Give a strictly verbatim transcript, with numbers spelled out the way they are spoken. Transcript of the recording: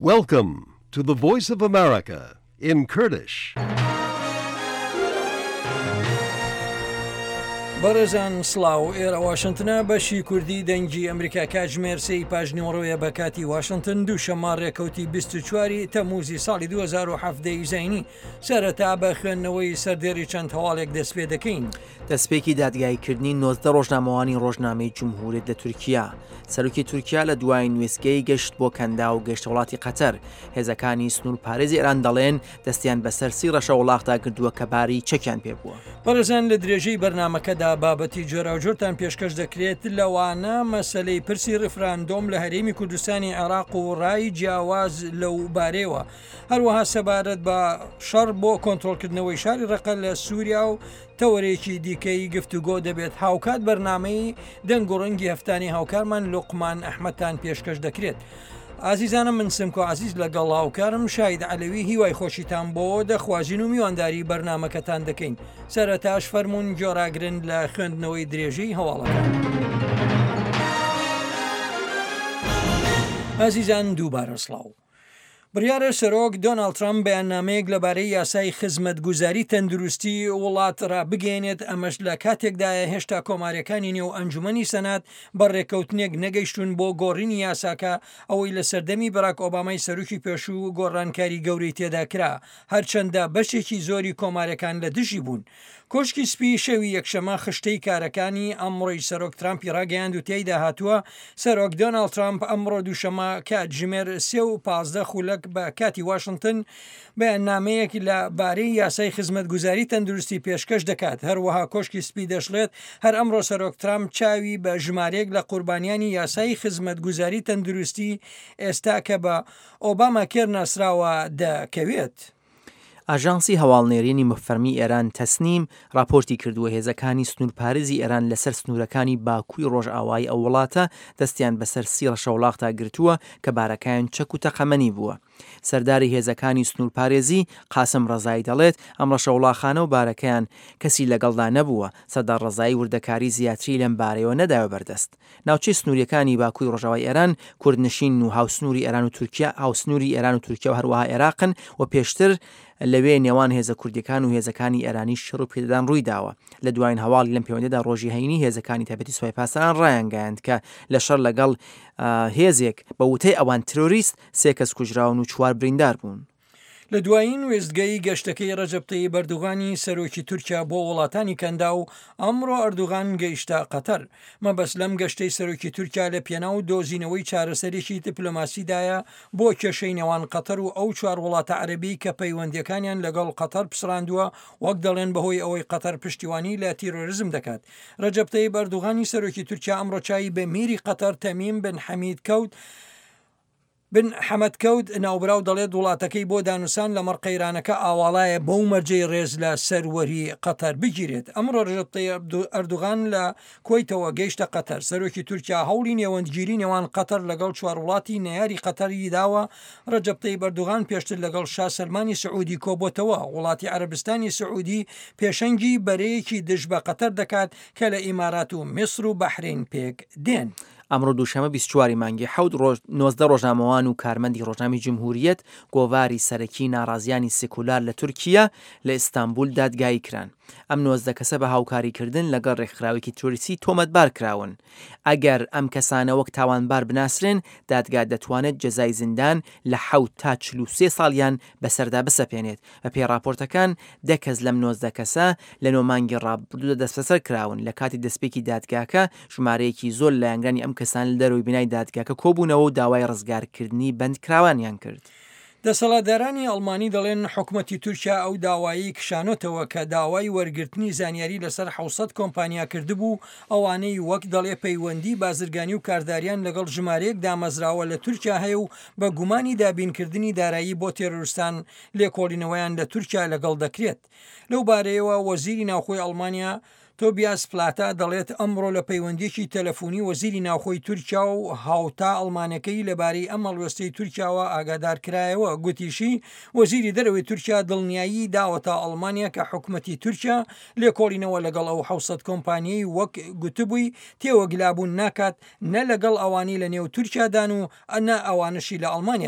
Welcome to the Voice of America in Kurdish. بەڕێزان سڵاو، ئێرە واشنتنە، بەشی کوردی دەنگی ئەمریکا. کاتژمێر سێی پاژنیوەڕۆیە بە کاتی واشنتن، دووشەممە ڕێکەوتی بیست و چوار ی تەمموزی ساڵی دوو هەزار و حەڤدە ی زایینی. سەرەتا بە خوێندنەوەی سەردێڕی چەند هەواڵێک دەست پێ دەکەین. دەستپێکی دادگاییکردنی نۆزدە ڕۆژنامەوانی ڕۆژنامەی جمهوریەت لە تورکیا. سەرۆکی تورکیا لە دوایین وێستگەی گەشت بۆ کەنداو گەیشتە وڵاتی قەتەر. هێزەکانی سنوورپارێزی ئێران دەڵێن دەستیان بەسەر سی ڕەشەوڵاخدا گرتووە کە باری چەکیان پێ بووە. بەڕێزان لە درێژەی بەرنامەکەدا بابەتی جۆراوجۆرتان پێشکەش دەکرێت، لەوانە مەسەلەی پرسی ڕیفراندۆم لە هەرێمی کوردستانی عێراق و ڕای جیاواز لەو بارەیەوە، هەروەها سەبارەت بە شەڕ بۆ کۆنترۆڵکردنەوەی شاری ڕەقە لە سووریا و تەوەرێکی دیکەی گفتوگۆ دەبێت. هاوکات بەرنامەی دەنگ و ڕەنگی هەفتانی هاوکارمان لوقمان ئەحمەدتان پێشکەش دەکرێت. ئازیزانم من سمکۆ عزیز لەگەڵ هاوکارم شاید عەلەوی هیوای خۆشیتان بۆ دەخوازین و میوانداری بەرنامەکەتان دەکەین. سەرەتاش فەرمونون گۆراگرن لە خوێندنەوەی درێژەی هەواڵەکان. ئازیزان دووبارە سڵاو. بڕیارە سەرۆک دۆناڵد ترامپ بەیاننامەیەک لەبارەی یاسای خزمەتگوزاری تەندروستی وڵات ڕابگەیەنێت، ئەمەش لە کاتێکدایە هێشتا کۆماریەکانی نێو ئەنجومەنی سەنات بە ڕێککەوتنێک نەگەیشتون بۆ گۆڕینی یاساکە، ئەوەی لە سەردەمی باراک ئۆبامای سەرۆکی پێشوو گۆڕانکاری گەورەی تێدا کرا، هەرچەندە بەشێکی زۆری کۆماریەکان لە دژی بوون. کۆشکی سپی شەوی یەکشەمە خشتەی کارەکانی ئەمڕۆی سەرۆک ترامپی ڕاگەیاند و تێیدا هاتووە سەرۆک دۆناڵد ترامپ ئەمڕۆ دووشەمە کاتژمێر سێ و پازدە خولەک بە کاتی واشنتن بەیاننامەیەک لە بارەی یاسای خزمەتگوزاری تەندروستی پێشکەش دەکات. هەروەها کۆشکی سپی دەشڵێت هەر ئەمڕۆ سەرۆک ترامپ چاوی بە ژمارەیەک لە قوربانیانی یاسای خزمەتگوزاری تەندروستی ئێستا کە بە ئۆباما کێر ناسراوە دەکەوێت. ئاژانسی هەواڵنێرینی فەرمی ئێران تەسنیم راپۆرتی کردووە هێزەکانی سنوورپارێزی ئێران لەسەر سنوورەکانی باکووی ڕۆژئاوایی ئەو وڵاتە دەستیان بەسەر سی ڕەشەوڵاخدا گرتووە کە بارەکایان چەک و تەقەمەنی بووە. سەرداری هێزەکانی سنوورپارێزی قاسم ڕەزایی دەڵێت ئەم ڕەشەوڵاخانە و بارەکەیان کەسی لەگەڵدا نەبووە. سەردار ڕەزایی وردەکاری زیاتری لەم بارەیەوە نەداوە بەردەست. ناوچەی سنووریەکانی باکووی ڕۆژاوای ئێران کوردنشین و هاوسنووری ئێران و تورکیا هاوسنووری ئێران و تورکیا و هەروەها عێراقن و پێشتر لەوێ نێوان هێزە کوردیەکان و هێزەکانی ئێرانی شەڕ و پێدەدان ڕووی داوە. لە دوایین هەواڵی لەم پەیوەندیدا ڕۆژی هەینی هێزەکانی تایبەتی سوپای پاسداران ڕایانگەیاند کە لە شەڕ لەگەڵ هێزێک بە وتەی ئەوان ترۆریست سێ کەس کوژراون و چوار بریندار بوون. لە دوایین وێستگەی گەشتەکەی ڕەجەب تەیب ئەردوغانی سەرۆکی تورکیا بۆ وڵاتانی کەنداو، ئەمڕۆ ئەردوغان گەیشتە قەتەر. مەبەست لەم گەشتەی سەرۆکی تورکیا لە پێناو دۆزینەوەی چارەسەرێکی دیپلۆماسیدایە بۆ کێشەی نێوان قەتەر و ئەو چوار وڵاتە عەرەبی کە پەیوەندیەکانیان لەگەڵ قەتەر پسڕاندووە، وەک دەڵێن بەهۆی ئەوەی قەتەر پشتیوانی لە تیرۆریزم دەکات. ڕەجەب تەیب ئەردوغانی سەرۆکی تورکیا ئەمڕۆ چاوی بە میری قەتەر تەمیم بن حەمید کەوت بن حەمەد کەوت. ناوبراو دەڵێت وڵاتەکەی بۆ دانوسان لەمەڕ قەیرانەکە ئاواڵایە بەو مەرجەی ڕێز لە سەروەری قەتەر بگیرێت. ئەمڕۆ ڕەجەب تەیب ئەردوغان لە کوەیتەوە گەیشتە قەتەر. سەرۆکی تورکیا هەوڵی نێوەندگیری نێوان قەتەر لەگەڵ چوار وڵاتی نەیاری قەتەری داوە. ڕەجەب تەیب ئەردوغان پێشتر لەگەڵ شا سەلمانی سعودی کۆبۆتەوە. وڵاتی عەرەبستانی سعودی پێشەنگی بەرەیەکی دژ بە قەتەر دەکات کە لە ئیمارات و میسر و بەحرین پێک دێن. ئەمڕۆ دووشەمە بیست و چوار مانگی حەوت ڕۆژ نۆزدە ڕۆژنامەوان و کارمەندی ڕۆژنامەی جمهوریەت گۆڤاری سەرەکی ناڕازیانی سیکولار لە تورکیا لە ئیستانبول دادگایی کران. ئەم نۆزدە کەسە بە هاوکاریکردن لەگەڵ ڕێکخراوێکی تیرۆریستی تۆمەتبار کراون. ئەگەر ئەم کەسانە وەک تاوانبار بناسرێن، دادگا دەتوانێت جەزای زیندان لە حەوت تا چل و سێ ساڵیان بەسەردا بسەپێنێت. بەپێی ڕاپۆرتەکان دە کەس لەم نۆزدە کەسە لە نۆ مانگی ڕابردوودا دەستبەسەر کراون. لە کاتی دەستپێکی دادگاکە ژمارەیەکی زۆر لایەنگرانی ئەم کەسان لە دەرەوەی بینای دادگاکە کۆبوونەوە و داوای ڕزگارکردنی بەندکراوانیان کرد. دەسەڵاتدارانی ئەڵمانی دەڵێن حکومەتی تورکیا ئەو داوایی کشانۆتەوە کە داوای وەرگرتنی زانیاری لەسەر حەوت سەد کۆمپانیا کردبوو، ئەوانەی وەک دەڵێ پەیوەندی بازرگانی و کارداریان لەگەڵ ژمارەیەک دامەزراوە لە تورکیا هەیە و بە گومانی دابینکردنی دارایی بۆ تێرۆریستان لێکۆڵینەوەیان لە تورکیا لەگەڵ دەکرێت. لەو بارەیەوە وەزیری ناوخۆی ئەڵمانیا تۆبیاس پلاتا دەڵێت ئەمڕۆ لە پەیوەندیەکی تەلەفۆنی وەزیری ناوخۆی تورکیا و هاوتا ئەڵمانەکەی لەبارەی ئەم هەڵوێستەی تورکیاوە ئاگادار کرایەوە. گوتیشی وەزیری دەرەوەی تورکیا دڵنیایی داوەتە ئەڵمانیا کە حکومەتی تورکیا لێکۆڵینەوە لەگەڵ ئەو حەوت سەد کۆمپانیەی وەک گوتبووی تێوەگلابوون ناکات، نە لەگەڵ ئەوانەی لە نێو تورکیادان و نە ئەوانەشی لە ئەڵمانیا